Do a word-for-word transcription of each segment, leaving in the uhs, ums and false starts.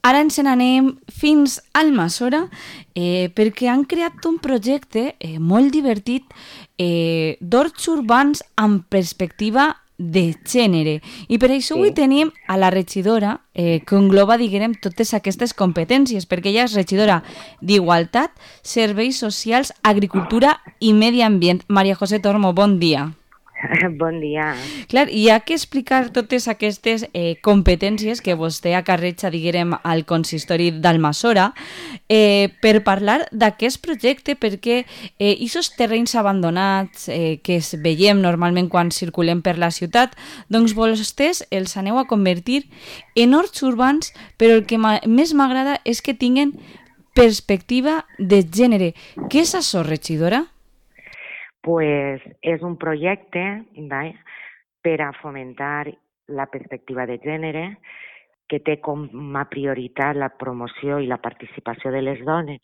Ara ens n'anem fins al Almassora eh, perquè han creat un projecte eh, molt divertit eh, d'horts urbans amb perspectiva de gènere. I per això avui Sí. tenim a la regidora eh, que engloba, diguem, totes aquestes competències, perquè ella és regidora d'Igualtat, Serveis Socials, Agricultura i Medi Ambient. Maria José Tormo, bon dia. Bon dia. Clar, hi ha que explicar totes aquestes eh, competències que vostè acarreja, diguem, al consistori d'Almassora eh, per parlar d'aquest projecte, perquè eh, aquests terrenys abandonats eh, que es veiem normalment quan circulem per la ciutat, doncs vostès els aneu a convertir en horts urbans, però el que més m'agrada és que tinguen perspectiva de gènere. Què és això, regidora? Pues és un projecte vai, per a fomentar la perspectiva de gènere que té com a prioritat la promoció i la participació de les dones,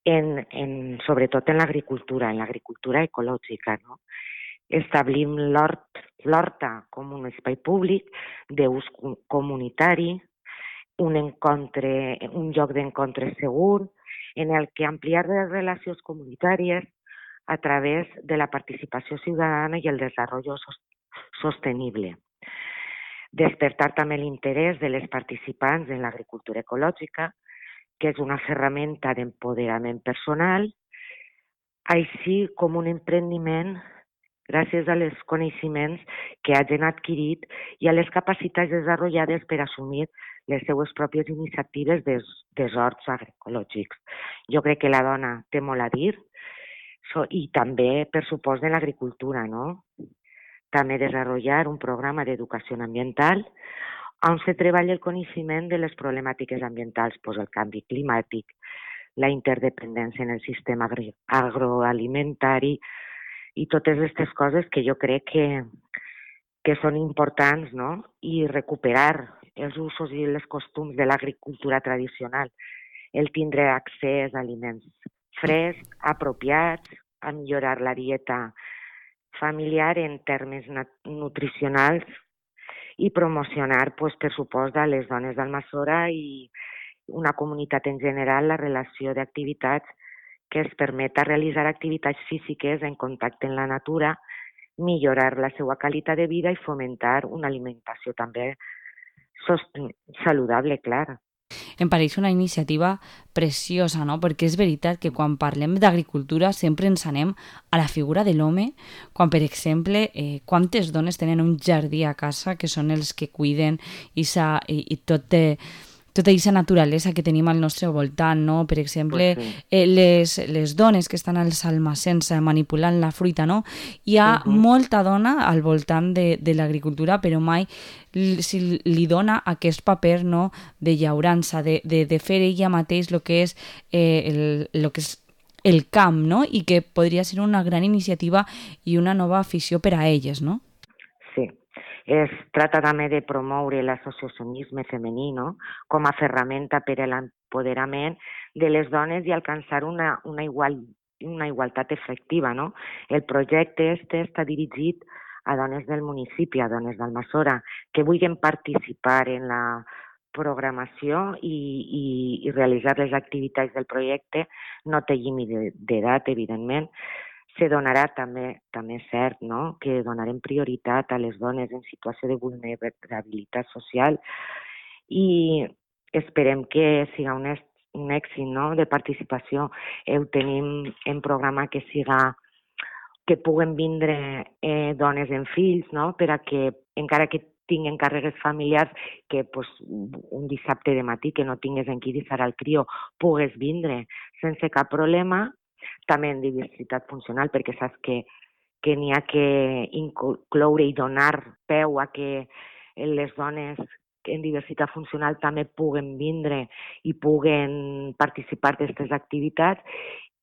en, en, sobretot en l'agricultura, en l'agricultura ecològica. No? Establim l'hort, l'horta com un espai públic d'ús comunitari, un, encontre, un lloc d'encontre segur, en el que ampliar les relacions comunitàries a través de la participació ciutadana i el desenvolupament sostenible. Despertar també l'interès de les participants en l'agricultura ecològica, que és una ferramenta d'empoderament personal, així com un emprendiment gràcies als coneixements que hagin adquirit i a les capacitats desenvolupades per assumir les seues pròpies iniciatives des, des horts agroecològics. Jo crec que la dona té molt a dir, So, i també, per supost, de l'agricultura, no? També desenvolupar un programa d'educació ambiental on se treballa el coneixement de les problemàtiques ambientals, pues el canvi climàtic, la interdependència en el sistema agroalimentari i totes aquestes coses que jo crec que, que són importants, no? I recuperar els usos i els costums de l'agricultura tradicional, el tindre accés a aliments frescs, apropiats, a millorar la dieta familiar en termes nutricionals i promocionar, pues, per supost, a les dones d'Almassora i una comunitat en general la relació d'activitats que es permeta realitzar activitats físiques en contacte amb la natura, millorar la seva qualitat de vida i fomentar una alimentació també saludable, clar. Em pareix una iniciativa preciosa, no? Perquè és veritat que quan parlem d'agricultura sempre ens anem a la figura de l'home, quan, per exemple, eh, quantes dones tenen un jardí a casa que són els que cuiden i, i, i tot té... tota aquesta naturalesa que tenim al nostre voltant, no? Per exemple, Pues sí. eh, les, les dones que estan als almacens manipulant la fruita, no? Hi ha Uh-huh. molta dona al voltant de, de l'agricultura, però mai si li dona aquest paper, no?, de llaurança, de, de, de fer ella mateix el que és eh, el, lo que és el camp, no? I que podria ser una gran iniciativa i una nova afició per a elles, no? Sí. Es trata també de promoure l'associacionisme femení, no? Com a ferramenta per a l'empoderament de les dones i alcançar una, una, igual, una igualtat efectiva, no? El projecte este està dirigit a dones del municipi, a dones d'Almassora, que vulguin participar en la programació i, i, i realitzar les activitats del projecte. No té límit d'edat, evidentment. Se donarà també, també és cert, no?, que donarem prioritat a les dones en situació de vulnerabilitat social i esperem que siga un, un èxit, no?, de participació. Ho tenim en programa que siga que puguen vindre eh, dones amb fills, no?, per a que, encara que tinguen càrregues familiars, que pues, un dissabte de matí que no tingues en qui deixar al crió, pugues vindre sense cap problema. També en diversitat funcional, perquè saps que, que n'hi ha que incloure i donar peu a que les dones en diversitat funcional també puguen vindre i puguen participar d'aquestes activitats,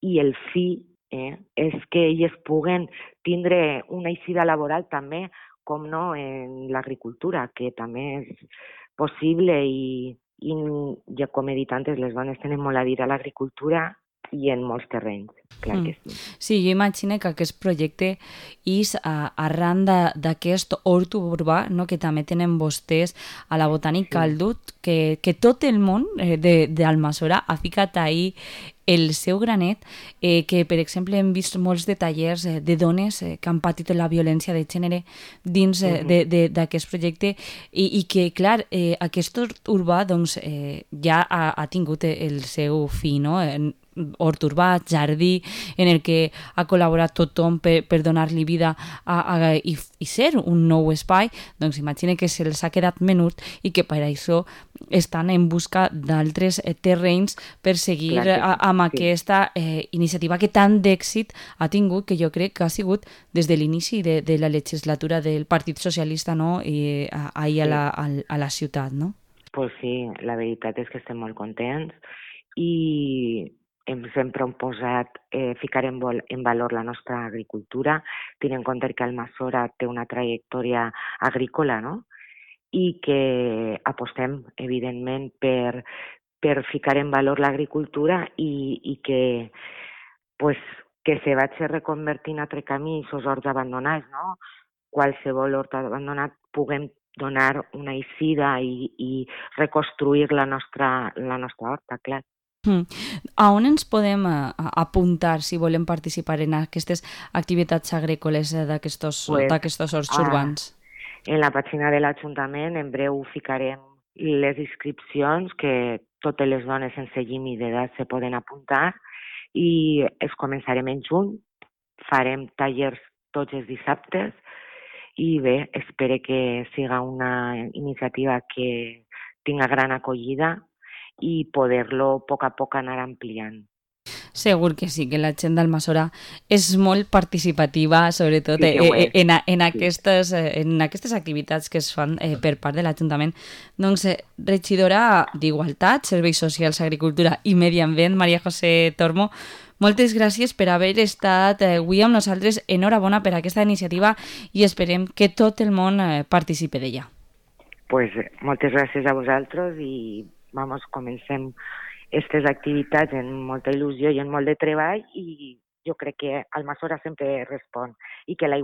i el fi eh, és que elles puguen tindre una eixida laboral també, com no, en l'agricultura, que també és possible i, i ja com he dit antes, les dones tenen molt a dir a l'agricultura i en molts terrenys, clar que sí. Sí, jo imagino que aquest projecte és a, arran d'aquest hort urbà, no?, que també tenen vostès a la Botànica Sí. Aldut, que, que tot el món eh, d'Almassora ha ficat ahí el seu granet, eh, que per exemple hem vist molts de tallers eh, de dones eh, que han patit la violència de gènere dins eh, Mhm. d'aquest projecte i, i que, clar, eh, aquest hort urbà doncs, eh, ja ha, ha tingut el seu fi, no?, en, hort urbà, jardí, en el que ha col·laborat tothom per, per donar-li vida a, a, i, i ser un nou espai, doncs imagina que se'ls ha quedat menut i que per això estan en busca d'altres eh, terrenys per seguir Clar que a, sí, amb sí. aquesta eh, iniciativa que tant d'èxit ha tingut, que jo crec que ha sigut des de l'inici de, de la legislatura del Partit Socialista, no?, i, a, ahir a, la, a, a la ciutat, no? Pues sí, la veritat és que estem molt contents i hem sempre hem posat eh, ficar en, vol, en valor la nostra agricultura, tenint en compte que Almassora té una trajectòria agrícola, no?, i que apostem, evidentment, per, per ficar en valor l'agricultura i, i que, pues, que se vagi reconvertint altre camí i els horts abandonats, no? Qualsevol hort abandonat puguem donar una eixida i, i reconstruir la nostra, la nostra horta, clar. Mm. A on ens podem uh, apuntar si volem participar en aquestes activitats agrícoles uh, Pues, d'aquests horts a, urbans? en la pàgina de l'Ajuntament en breu ficarem les inscripcions que totes les dones sense límit d'edat se poden apuntar i es començarem en juny, farem tallers tots els dissabtes i bé, espero que siga una iniciativa que tinga gran acollida i poder-lo a poc a poc anar ampliant. Segur que sí, que la gent d'Almassora és molt participativa, sobretot Sí eh, que ho eh, és. en, en, Sí. aquestes, eh, en aquestes activitats que es fan eh, per part de l'Ajuntament. Doncs, eh, regidora d'Igualtat, Serveis Socials, Agricultura i Medi Ambient, Maria José Tormo, moltes gràcies per haver estat eh, avui amb nosaltres. Enhorabona per aquesta iniciativa i esperem que tot el món eh, participi d'ella. Pues moltes gràcies a vosaltres i vamos, comencem aquestes activitats en molta il·lusió i en molt de treball i jo crec que Almassora sempre respon i que la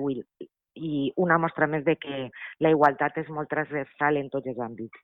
i una mostra més de que la igualtat és molt transversal en tots els àmbits.